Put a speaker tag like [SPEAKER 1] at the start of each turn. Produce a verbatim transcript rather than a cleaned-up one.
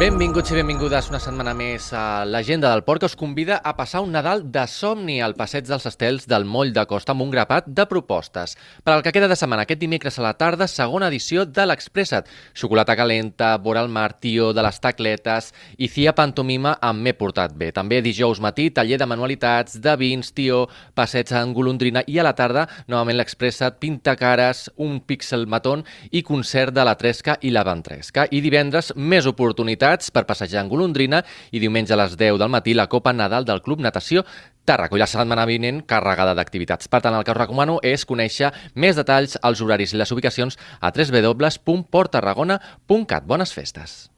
[SPEAKER 1] Benvinguts i benvingudes una setmana més a l'Agenda del Port, que us convida a passar un Nadal de somni al Passeig dels Estels del Moll de Costa amb un grapat de propostes. Per al que queda de setmana, aquest dimecres a la tarda, segona edició de l'Expressa't. Xocolata calenta, vora el mar, tio de les tacletes i cia pantomima amb M'he portat bé. També dijous matí, taller de manualitats, de vins, tio, passeig en golondrina i a la tarda, novament l'Expressa't, pintacares, un píxel matón i concert de la Tresca i la Ventresca. I divendres, més oportunitats per passejar en golondrina i diumenge a les deu del matí la Copa Nadal del Club Natació Tàrraco i la setmana vinent carregada d'activitats. Per tant, el que us recomano és conèixer més detalls, els horaris i les ubicacions a w w w punt port tarragona punt cat. Bones festes!